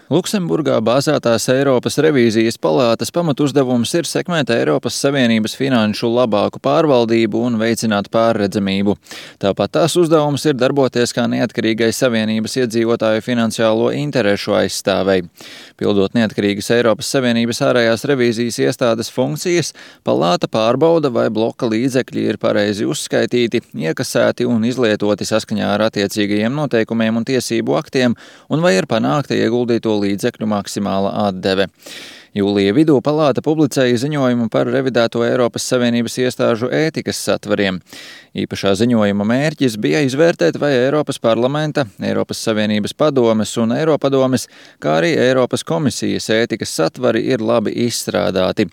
Luksemburgā bāzētās Eiropas revīzijas palātas pamatuzdevums ir sekmēt Eiropas Savienības finanšu labāku pārvaldību un veicināt pārredzamību. Tāpat tās uzdevums ir darboties kā neatkarīgai Savienības iedzīvotāju finansiālo interešu aizstāvei. Pildot neatkarīgas Eiropas Savienības ārējās revīzijas iestādes funkcijas, palāta pārbauda, vai bloka līdzekļi ir pareizi uzskaitīti, iekasēti un izlietoti saskaņā ar attiecīgajiem noteikumiem un tiesību aktiem, un vai ir panākta ieguldīto līdzekļu maksimāla atdeve. Jūlija vidū palāta publicēja ziņojumu par revidēto Eiropas Savienības iestāžu ētikas satvariem. Īpašā ziņojuma mērķis bija izvērtēt, vai Eiropas parlamenta, Eiropas Savienības padomes un Eiropadomes, kā arī Eiropas komisijas ētikas satvari ir labi izstrādāti.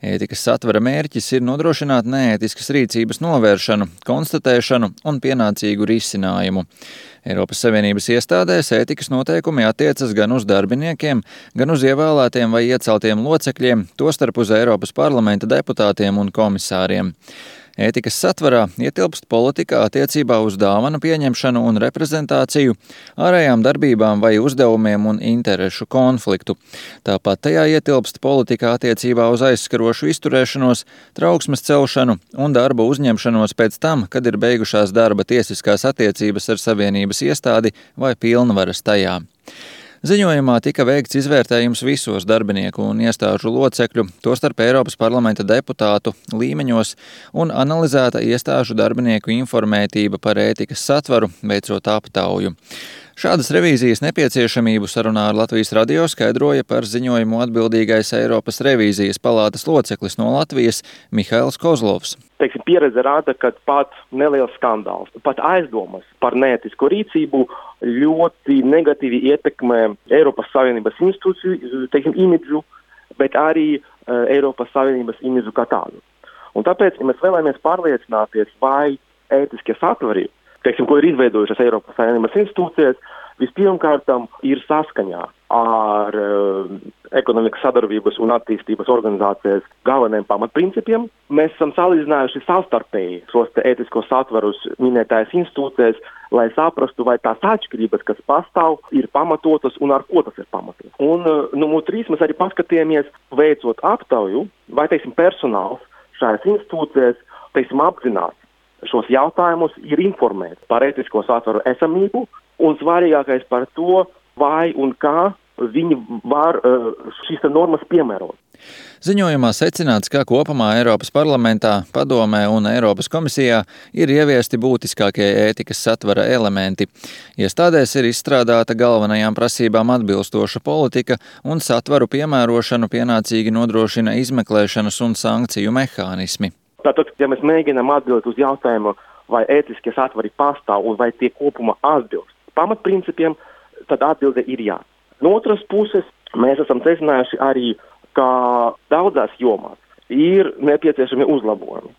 Ētikas satvara mērķis ir nodrošināt neētiskas rīcības novēršanu, konstatēšanu un pienācīgu risinājumu. Eiropas Savienības iestādēs ētikas noteikumi attiecas gan uz darbiniekiem, gan uz ievēlētiem vai ieceltiem locekļiem, tostarp uz Eiropas parlamenta deputātiem un komisāriem. Ētikas satvarā ietilpst politika attiecībā uz dāvanu pieņemšanu un reprezentāciju, ārējām darbībām vai uzdevumiem un interešu konfliktu. Tāpat tajā ietilpst politika attiecībā uz aizskarošu izturēšanos, trauksmes celšanu un darba uzņemšanos pēc tam, kad ir beigušās darba tiesiskās attiecības ar Savienības iestādi vai pilnvaras tajā. Ziņojumā tika veikts izvērtējums visos darbinieku un iestāžu locekļu, tostarp Eiropas parlamenta deputātu līmeņos, un analizēta iestāžu darbinieku informētība par ētikas satvaru, veicot aptauju. Šādas revīzijas nepieciešamību sarunā ar Latvijas radio skaidroja par ziņojumu atbildīgais Eiropas revīzijas palātas loceklis no Latvijas Mihails Kozlovs. Pieredze rāda, ka pat neliels skandāls, pat aizdomas par neētisku rīcību ļoti negatīvi ietekmē Eiropas Savienības institūciju imidžu, bet arī Eiropas Savienības imidžu kā tādu. Un tāpēc, ja mēs vēlamies pārliecināties, vai ētiskie satvari, ko ir izveidojušas Eiropas Savienības institūcijas, vispirmkārtam ir saskaņā ar ekonomikas sadarbības un attīstības organizācijas galvenajiem pamatprincipiem. Mēs esam salīdzinājuši savstarpēji šos ētiskos satvarus minētājas institūcijas, lai saprastu, vai tās atšķirības, kas pastāv, ir pamatotas un ar ko tas ir pamatots. Un numur 3 mēs arī paskatījāmies, veicot aptauju, vai personāls šajās institūcijas apzinās šos jautājumus, ir informēti par ētisko satvaru esamību un svarīgākais par to, vai un kā viņi var šīs normas piemērot. Ziņojumā secināts, ka kopumā Eiropas parlamentā, padomē un Eiropas komisijā ir ieviesti būtiskākie ētikas satvara elementi. Iestādēs ir izstrādāta galvenajām prasībām atbilstoša politika un satvaru piemērošanu pienācīgi nodrošina izmeklēšanas un sankciju mehānismi. Tātad, ja mēs mēģinām atbildēt uz jautājumu, vai ētiskie satvari pastāv un vai tie kopumā atbilst pamatprincipiem, tad atbilde ir jā. No otras puses, mēs esam secinājuši arī, ka daudzās jomās ir nepieciešami uzlabojumi.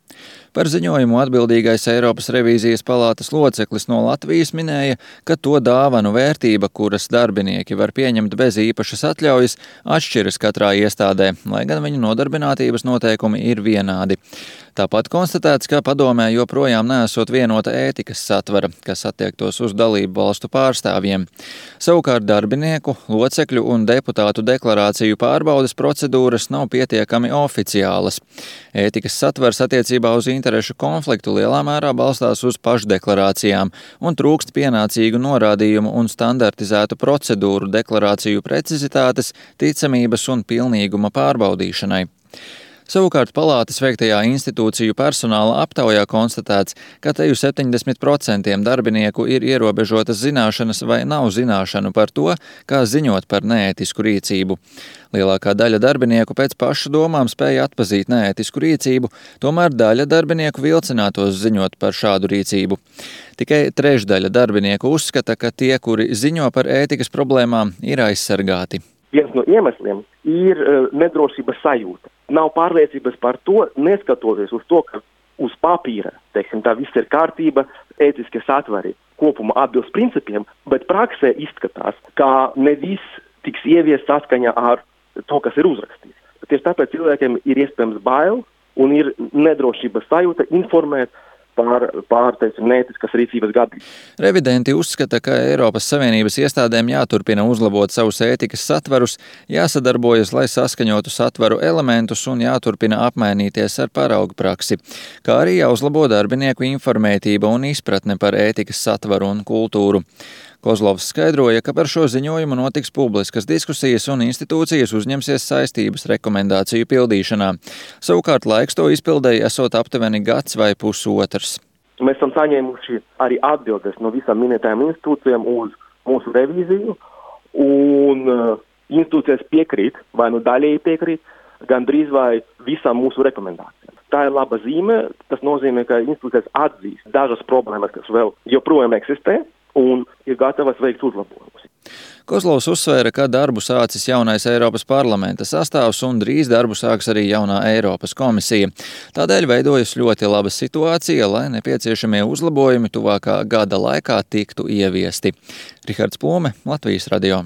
Par ziņojumu atbildīgais Eiropas revīzijas palātas loceklis no Latvijas minēja, ka to dāvanu vērtība, kuras darbinieki var pieņemt bez īpašas atļaujas, atšķiras katrā iestādē, lai gan viņu nodarbinātības noteikumi ir vienādi. Tāpat konstatēts, ka padomē joprojām neesot vienota ētikas satvara, kas attiektos uz dalību valstu pārstāvjiem. Savukārt darbinieku, locekļu un deputātu deklarāciju pārbaudes procedūras nav pietiekami oficiālas. Ētikas satvars attiecībā uz interešu konfliktu lielā mērā balstās uz pašdeklarācijām un trūkst pienācīgu norādījumu un standartizētu procedūru deklarāciju precizitātes, ticamības un pilnīguma pārbaudīšanai. Savukārt palātas veiktajā institūciju personāla aptaujā konstatēts, ka teju 70% darbinieku ir ierobežotas zināšanas vai nav zināšanu par to, kā ziņot par neētisku rīcību. Lielākā daļa darbinieku pēc pašu domām spēja atpazīt neētisku rīcību, tomēr daļa darbinieku vilcinātos ziņot par šādu rīcību. Tikai trešdaļa darbinieku uzskata, ka tie, kuri ziņo par ētikas problēmām, ir aizsargāti. Viens no iemesliem ir nedrošības sajūta. Nav pārliecības par to, neskatoties uz to, ka uz papīra, tā viss ir kārtība, ētiskie satvari kopumā atbilst principiem, bet praksē izskatās, ka ne viss tiks ieviest saskaņā ar to, kas ir uzrakstīts. Tieši tāpēc cilvēkiem ir iespējams bail un ir nedrošības sajūta informēt teiksim, neētiskas rīcības gadījumā. Revidenti uzskata, ka Eiropas Savienības iestādēm jāturpina uzlabot savus ētikas satvarus, jāsadarbojas, lai saskaņotu satvaru elementus un jāturpina apmainīties ar paraugu praksi, kā arī jāuzlabo darbinieku informētība un izpratne par ētikas satvaru un kultūru. Kozlovs skaidroja, ka par šo ziņojumu notiks publiskas diskusijas un institūcijas uzņemsies saistības rekomendāciju pildīšanā. Savukārt laiks to izpildēji esot aptuveni gads vai pusotrs. Mēs esam saņēmuši arī atbildes no visām minētajām institūcijām uz mūsu revīziju, un institūcijas piekrīt, vai nu daļēji piekrīt, gandrīz vai visām mūsu rekomendācijām. Tā ir laba zīme, tas nozīmē, ka institūcijas atzīst dažas problēmas, kas vēl joprojām eksistē, un ir gatavas veikt uzlabojumus. Kozlovs uzsvēra, ka darbu sācis jaunais Eiropas parlamenta sastāvs un drīz darbu sāks arī jaunā Eiropas komisija. Tādēļ veidojas ļoti laba situācija, lai nepieciešamie uzlabojumi tuvākā gada laikā tiktu ieviesti. Rihards Plome, Latvijas radio.